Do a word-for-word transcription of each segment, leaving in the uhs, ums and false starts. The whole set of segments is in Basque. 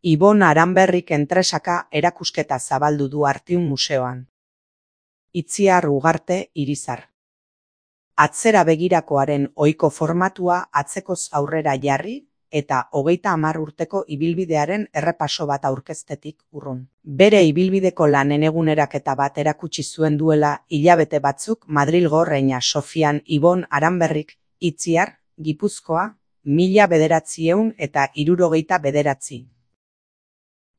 Ibon Aranberrik Entresaka erakusketa zabaldu du Artium Museoan. Itziar Ugarte, Irizar. Atzera begirakoaren ohiko formatua atzekoz aurrera jarri eta hogeita hamar urteko ibilbidearen errepaso bat aurkeztetik urrun. Bere ibilbideko lanen eguneraketa bat erakutsi zuen duela hilabete batzuk Madrilgo Reina Sofian Ibon Aranberrik, Itziar, Gipuzkoa, mila bederatziehun eta hirurogeita bederatzi.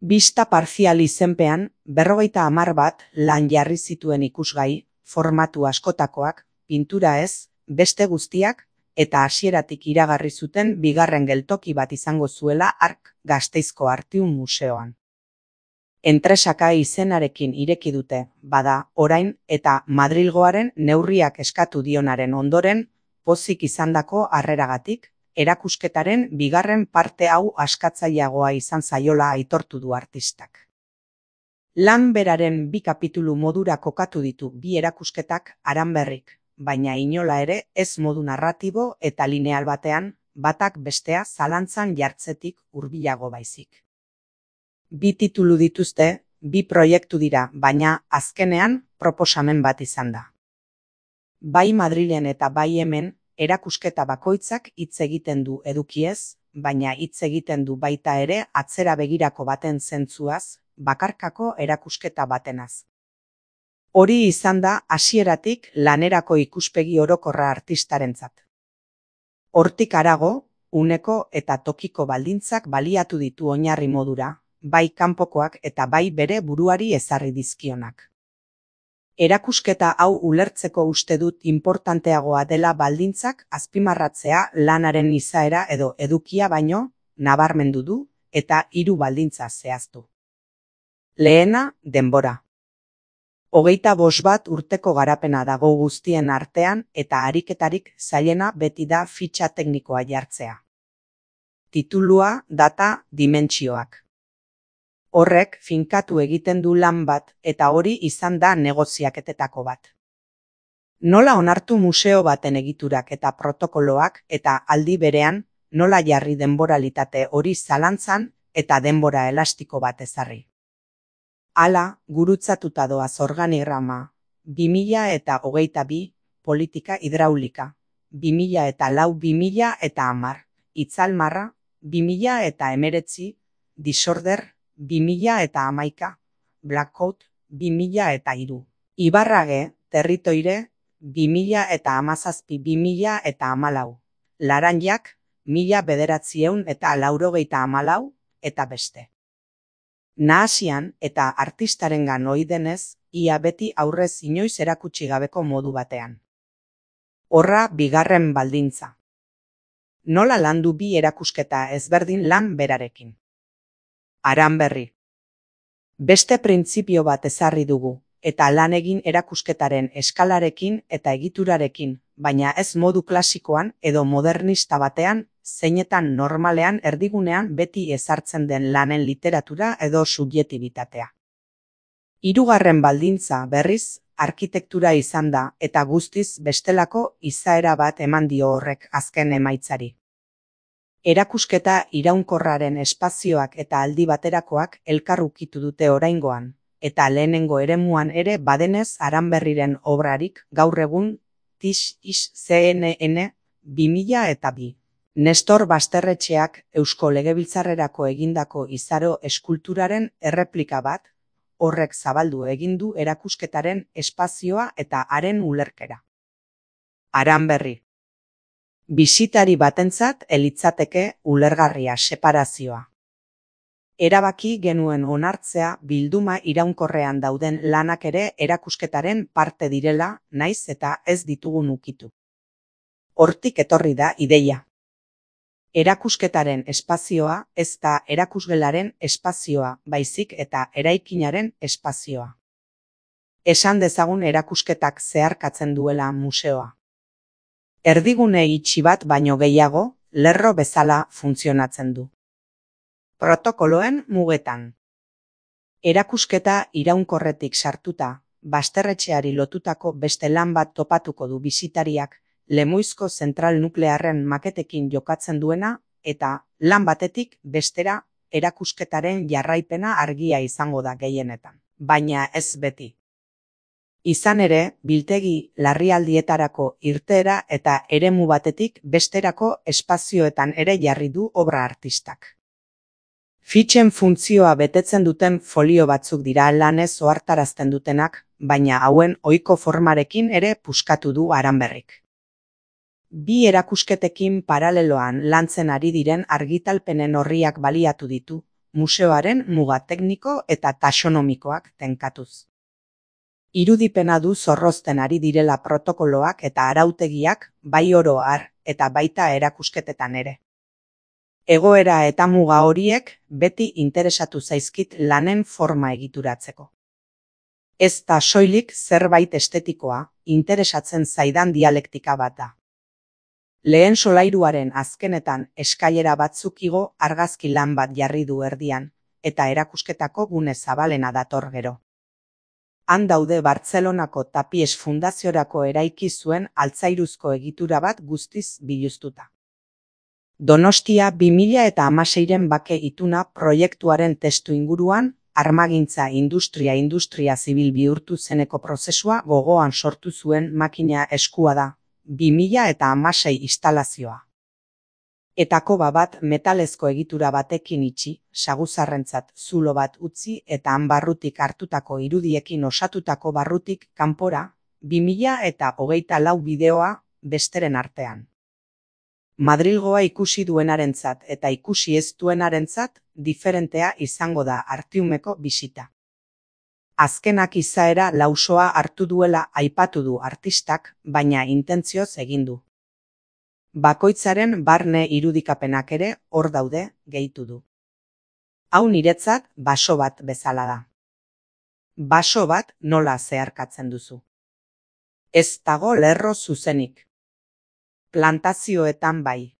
Bista parzial izenpean, berrogeita hamar bat lan jarri zituen ikusgai, formatu askotakoak, pintura ez, beste guztiak, eta hasieratik iragarri zuten bigarren geltoki bat izango zuela hark Gasteizko Artium Museoan. Entresaka izenarekin ireki dute, bada, orain, eta Madrilgoaren neurriak eskatu dionaren ondoren, pozik izandako harreragatik, erakusketaren bigarren parte hau askatzaileagoa izan zaiola aitortu du artistak. Lan beraren bi kapitulu modura kokatu ditu bi erakusketak Aranberrik, baina inola ere ez modu narratibo eta lineal batean, batak bestea zalantzan jartzetik hurbilago baizik. Bi titulu dituzte, bi proiektu dira, baina azkenean proposamen bat izan da. Bai Madrilen eta bai hemen, erakusketa bakoitzak hitz egiten du edukiez, baina hitz egiten du baita ere atzera begirako baten zentzuaz, bakarkako erakusketa batenaz. Hori izan da hasieratik lanerako ikuspegi orokorra artistarentzat. Hortik harago, uneko eta tokiko baldintzak baliatu ditu oinarri modura, bai kanpokoak eta bai bere buruari ezarri dizkionak. Erakusketa hau ulertzeko uste dut inportanteagoa dela baldintzak azpimarratzea lanaren izaera edo edukia baino, nabarmendu du, eta hiru baldintza zehaztu. Lehena, denbora. Hogeita bost bat urteko garapena dago guztien artean eta ariketarik zailena beti da fitxa teknikoa jartzea. Titulua, data, dimentsioak. Horrek finkatu egiten du lan bat eta hori izan da negoziaketetako bat. Nola onartu museo baten egiturak eta protokoloak eta aldi berean nola jarri denboralitate hori zalantzan eta denbora elastiko bat ezarri. Hala, gurutzatuta doaz organigrama, bi mila eta hogeita bi, politika hidraulika, bi mila eta lau bi mila eta hamar, itzalmarra, bi mila eta hemeretzi, disorder, bi mila eta hamaika, blackout, bi mila eta hiru. Ibarrage, territoire, bi mila eta hamazazpi bi mila eta hamalau. Laranjak, mila bederatziehun eta laurogeita hamalau, eta beste. Nahasian eta artistarengan ohi denez, ia beti aurrez inoiz erakutsi gabeko modu batean. Horra bigarren baldintza. Nola landu bi erakusketa ezberdin lan berarekin. Aranberri. Beste printzipio bat ezarri dugu, eta lan egin erakusketaren eskalarekin eta egiturarekin, baina ez modu klasikoan edo modernista batean, zeinetan normalean erdigunean beti ezartzen den lanen literatura edo subjektibitatea. Hirugarren baldintza berriz, arkitektura izan da eta guztiz bestelako izaera bat eman dio horrek azken emaitzari. Erakusketa iraunkorraren espazioak eta aldi baterakoak elkar ukitu dute oraingoan, eta lehenengo eremuan ere badenez Aranberriren obrarik gaur egun Tis is C N N bi mila eta bi. Nestor Basterretxeak Eusko Legebiltzarrerako egindako izaro eskulturaren erreplika bat, horrek zabaldu egin du erakusketaren espazioa eta haren ulerkera. Aranberri. Bisitari batentzat elitzateke ulergarria separazioa. Erabaki genuen onartzea bilduma iraunkorrean dauden lanak ere erakusketaren parte direla, naiz eta ez ditugun ukitu. Hortik etorri da ideia. Erakusketaren espazioa ez da erakusgelaren espazioa, baizik eta eraikinaren espazioa. Esan dezagun erakusketak zeharkatzen duela museoa. Erdigune itxi bat baino gehiago, lerro bezala funtzionatzen du. Protokoloen mugetan. Erakusketa iraunkorretik sartuta, Basterretxeari lotutako beste lan bat topatuko du bisitariak, Lemoizko zentral nuklearren maketekin jokatzen duena, eta lan batetik bestera erakusketaren jarraipena argia izango da gehienetan, baina ez beti. Izan ere, biltegi larrialdietarako irteera eta eremu batetik besterako espazioetan ere jarri du obra artistak. Fitxen funtzioa betetzen duten folio batzuk dira lanez ohartarazten dutenak, baina hauen ohiko formarekin ere puskatu du Aranberrik. Bi erakusketekin paraleloan lantzen ari diren argitalpenen orriak baliatu ditu, museoaren muga tekniko eta taxonomikoak tenkatuz. Irudipena du zorrozten ari direla protokoloak eta arautegiak bai oro har eta baita erakusketetan ere. Egoera eta muga horiek beti interesatu zaizkit lanen forma egituratzeko. Ez da soilik zerbait estetikoa, interesatzen zaidan dialektika bat da. Lehen solairuaren azkenetan eskailera batzuk igo argazki lan bat jarri du erdian, eta erakusketako gune zabalena dator gero. Han daude Bartzelonako Tapies Fundaziorako eraiki zuen altzairuzko egitura bat guztiz biluztuta. Donostia bi mila eta hamaseiren bake ituna proiektuaren testu inguruan, armagintza industria industria zibil bihurtu zeneko prozesua gogoan sortu zuen makina eskua da, bi mila eta hamasei instalazioa. Etakoba bat metalezko egitura batekin itxi, saguzarrentzat zulo bat utzi eta han barrutik hartutako irudiekin osatutako barrutik kanpora, bi mila eta hogeita lau bideoa besteren artean. Madrilgoa ikusi duenarentzat eta ikusi ez duenarentzat diferentea izango da Artiumeko bisita. Azkenak izaera lausoa hartu duela aipatu du artistak, baina intentzioz egin du. Bakoitzaren barne irudikapenak ere hor daude, gehitu du. Hau niretzat baso bat bezala da. Baso bat nola zeharkatzen duzu. Ez dago lerro zuzenik. Plantazioetan bai.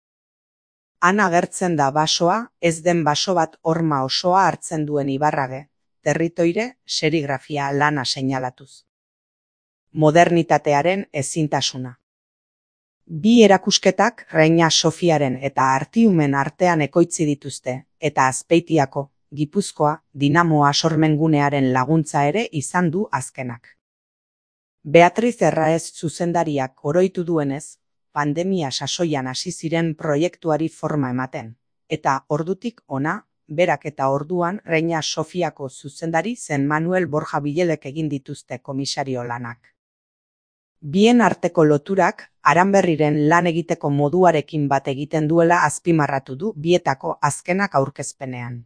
Han agertzen da basoa, ez den baso bat horma osoa hartzen duen Ibarrage, territoire serigrafia lana seinalatuz. Modernitatearen ezintasuna. Bi erakusketak Reina Sofiaren eta Artiumen artean ekoitzi dituzte, eta Azpeitiako, Gipuzkoa, Dinamoa sormengunearen laguntza ere izan du azkenak. Beatriz Erraez zuzendariak oroitu duenez, pandemia sasoian hasi ziren proiektuari forma ematen, eta ordutik ona, berak eta orduan Reina Sofiako zuzendari zen Manuel Borja Bilelek egin dituzte komisario lanak. Bien arteko loturak Aranberriren lan egiteko moduarekin bat egiten duela azpimarratu du bietako azkenak aurkezpenean.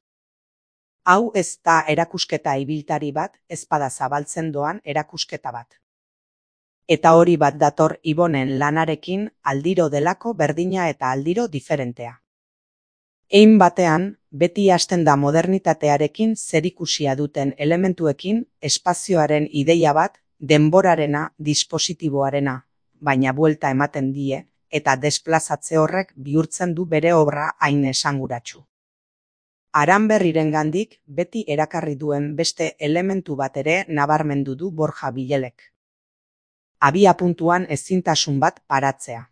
Hau ez da erakusketa ibiltari bat, ezpada zabaltzen doan erakusketa bat. Eta hori bat dator Ibonen lanarekin aldiro delako berdina eta aldiro diferentea. Hein batean, beti hasten da modernitatearekin zerikusia duten elementuekin espazioaren ideia bat, denborarena, dispositiboarena, baina buelta ematen die, eta desplazatze horrek bihurtzen du bere obra hain esanguratsu. Aranberrirengandik beti erakarri duen beste elementu bat ere nabarmendu du Borja Bilelek. Abia puntuan ezintasun bat paratzea.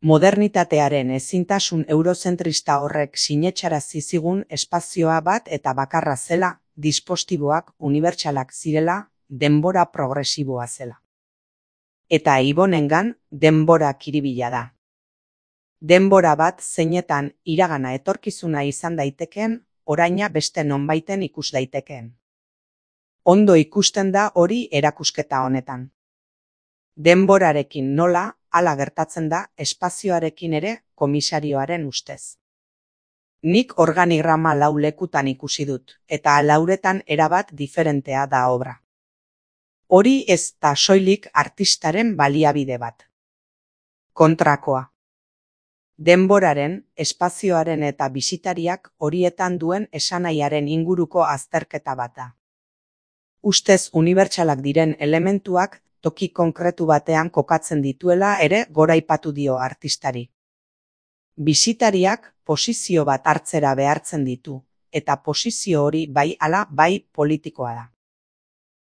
Modernitatearen ezintasun eurozentrista horrek sinetxarazi zigun espazioa bat eta bakarra zela, dispostiboak unibertsalak zirela, denbora progresiboa zela. Eta Ibonengan denbora kiribila da. Denbora bat zeinetan iragana etorkizuna izan daitekeen, oraina beste nonbaiten ikus daitekeen. Ondo ikusten da hori erakusketa honetan. Denborarekin nola, hala gertatzen da espazioarekin ere komisarioaren ustez. Nik organigrama lau lekutan ikusi dut, eta lauretan erabat diferentea da obra. Hori ez da soilik artistaren baliabide bat. Kontrakoa. Denboraren, espazioaren eta bisitariak horietan duen esanaiaren inguruko azterketa bat da. Ustez unibertsalak diren elementuak toki konkretu batean kokatzen dituela ere goraipatu dio artistari. Bisitariak posizio bat hartzera behartzen ditu, eta posizio hori bai ala bai politikoa da.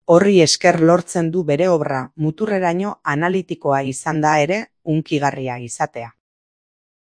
Horri esker lortzen du bere obra muturreraino analitikoa izan da ere hunkigarria izatea.